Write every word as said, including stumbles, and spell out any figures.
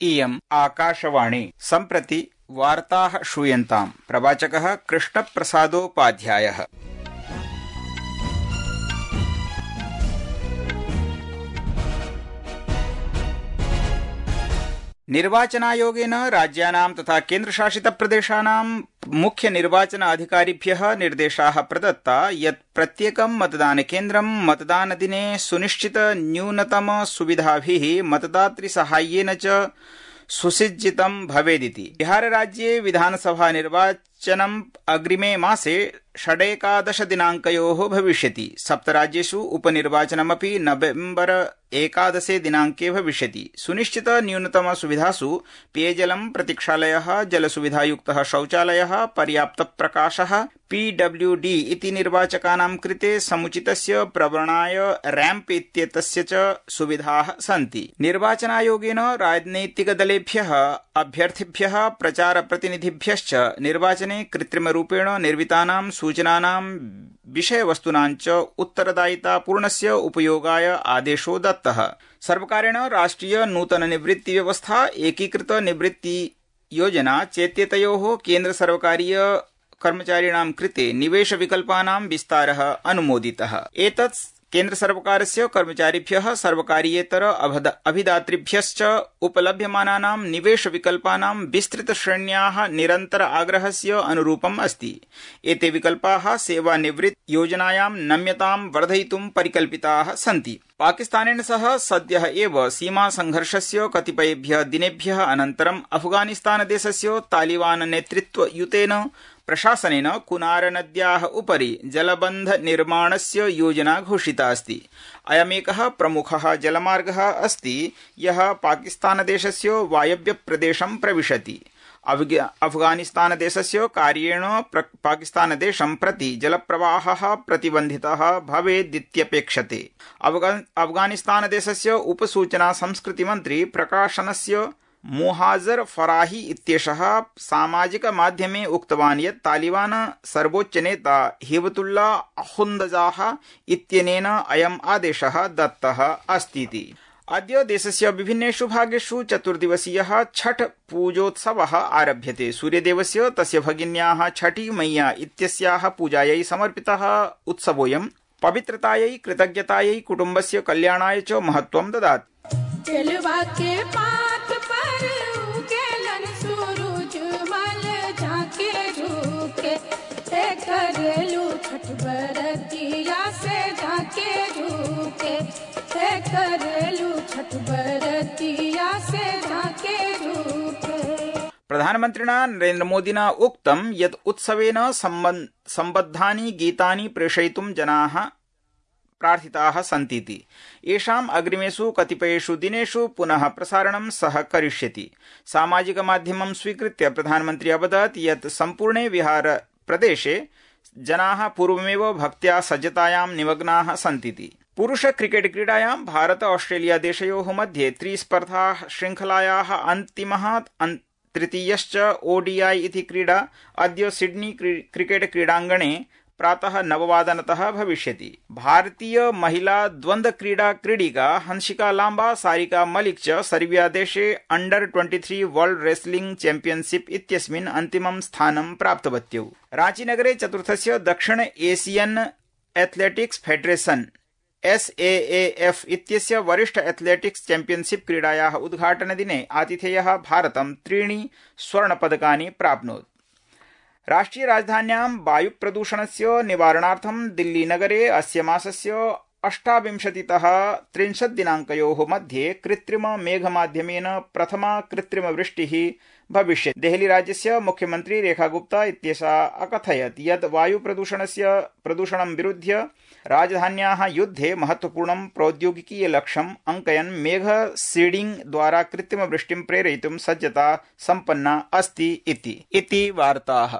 इयम् आकाशवाणी सम्प्रति वार्ताः श्रूयन्ताम्। प्रवाचकः कृष्णप्रसादोपाध्यायः। निर्वाचनायोगेन राज्यानां तथा केन्द्रशासितप्रदेशानां मुख्य निर्वाचन अधिकारिभ्यः निर्देशाः प्रदत्ता यत् प्रत्येकं मतदानकेन्द्रं मतदानदिने सुनिश्चित न्यूनतम सुविधाभिः मतदातृसाहाय्येन च सुसज्जितं भवेदिति। बिहारराज्ये विधानसभा निर्वाचनम् अग्रिमे मासे षडेकादश दिनाङ्कयोः भविष्यति। सप्तराज्येषु उपनिर्वाचनमपि नवेम्बर एकादशे दिनाङ्के भविष्यति। सुनिश्चित न्यूनतम सुविधासु पेयजलं, प्रतीक्षालयः, जलसुविधायुक्तः शौचालयः, पर्याप्तप्रकाशः, पीडब्ल्यूडी इति निर्वाचकानां कृते समुचितस्य प्रवरणाय रैम्प इत्येतस्य च सुविधाः सन्ति। निर्वाचनायोगेन राजनैतिकदलेभ्यः, अभ्यर्थिभ्यः, प्रचारप्रतिनिधिभ्यश्च निर्वाचने कृत्रिमरूपेण निर्मितानां सूचनानां विषयवस्तूनां च उत्तरदायितापूर्णस्य उपयोगाय आदेशो दत्तः। सर्वकारेण राष्ट्रिय नूतन निवृत्ति व्यवस्था, एकीकृत निवृत्ति योजना चेत्येतयोः केन्द्र सर्वकारीय कर्मचारिणां कृते निवेश विकल्पानां विस्तारः अनुमोदितः। एतत् केन्द्र सर्वकारस्य कर्मचारिभ्यः, सर्वकारीयेतर अभिदातृभ्यश्च उपलभ्यमानानां निवेश विकल्पानां विस्तृत श्रेण्याः निरन्तर आग्रहस्य अनुरूपम् अस्ति। एते विकल्पाः सेवानिवृत्ति योजनायां नम्यतां वर्धयितुं परिकल्पिताः सन्ति। पाकिस्तानेन सह सद्यः एव सीमा संघर्षस्य कतिपयेभ्यः दिनेभ्यः अनन्तरं अफगानिस्तानदेशस्य तालिबान नेतृत्वयुतेन प्रशासनेन कुनार नद्याः उपरि जलबन्ध निर्माणस्य योजना घोषिता अस्ति। अयमेकः प्रमुखः जलमार्गः अस्ति यः पाकिस्तानदेशस्य वायव्यप्रदेशं प्रविशति। अफगानिस्तानदेशस्य कार्येण पाकिस्तानदेशं प्रति जलप्रवाहः प्रतिबन्धितः भवेदित्यपेक्षते। अफगानिस्तानदेशस्य उपसूचना संस्कृतिमन्त्री प्रकाशनस्य मोहाजर फराही इत्येषः सामाजिकमाध्यमे उक्तवान् यत् तालिबान सर्वोच्चनेता हिबतुल्ला अखुन्दजाह इत्यनेन अयम् आदेशः दत्तः अस्तीति। अद्य देशस्य विभिन्नेषु भागेषु चतुर्दिवसीयः छठ पूजोत्सवः आरभ्यते। सूर्यदेवस्य तस्य भगिन्याः छठी मैया इत्यस्याः पूजायै समर्पितः उत्सवोऽयं पवित्रतायै, कृतज्ञतायै, कुटुम्बस्य कल्याणाय च महत्त्वं ददाति। प्रधानमन्त्रिणा नरेन्द्र मोदिना उक्तं यत् उत्सवेन सम्बद्धानि गीतानि प्रेषयितुं जनाः प्रार्थिताः सन्तीति। येषाम् अग्रिमेषु कतिपयेषु दिनेषु पुनः प्रसारणं सः करिष्यति। सामाजिकमाध्यमं स्वीकृत्य प्रधानमन्त्री अवदत् यत् सम्पूर्णे बिहार प्रदेशे जनाः पूर्वमेव भक्त्या सज्जतायां निमग्नाः सन्तीति। पुरुष क्रिकेट क्रीडायां भारत ऑस्ट्रेलिया देशयोः मध्ये त्रिस्पर्धा श्रृंखलायाः अन्तिमः तृतीयश्च ओडीआई इति क्रीडा अद्य सिडनी क्रिकेट क्रीडाङ्गणे प्रातः नववादनतः भविष्यति। भारतीय महिला द्वन्द्व क्रीडा क्रीडिका हंसिका लांबा, सारिका मलिक च सर्बिया देशे अंडर तेईस वर्ल्ड रेसलिंग चैंपियनशिप इत्यस्मिन् अन्तिमं स्थानं प्राप्तवत्यौ। रांचीनगरे चतुर्थस्य दक्षिण Asian athletics federation S A A F इत्यस्य वरिष्ठ एथलेटिक्स चैंपियनशिप क्रीडायाः उद्घाटनदिने आतिथेयः भारतं त्रीणि स्वर्णपदकानि प्राप्नोत्। राष्ट्रिय राजधान्यां वायुप्रदूषणस्य निवारणार्थं दिल्लीनगरे अस्य मासस्य अष्टाविंशतितः त्रिंशत् दिनाङ्कयोः मध्ये कृत्रिम मेघमाध्यमेन प्रथमा कृत्रिमवृष्टिः भविष्यति। देहली राज्यस्य मुख्यमन्त्री रेखा गुप्ता इत्येषा अकथयत् यत् वायुप्रदूषणस्य प्रदूषणं विरुध्य राजधान्याः युद्धे महत्वपूर्णं प्रौद्योगिकीय लक्ष्यम् अङ्कयन् मेघ सीडिंग द्वारा कृत्रिमवृष्टिं प्रेरयितुं सज्जता सम्पन्ना अस्ति इति। इति वार्ताः।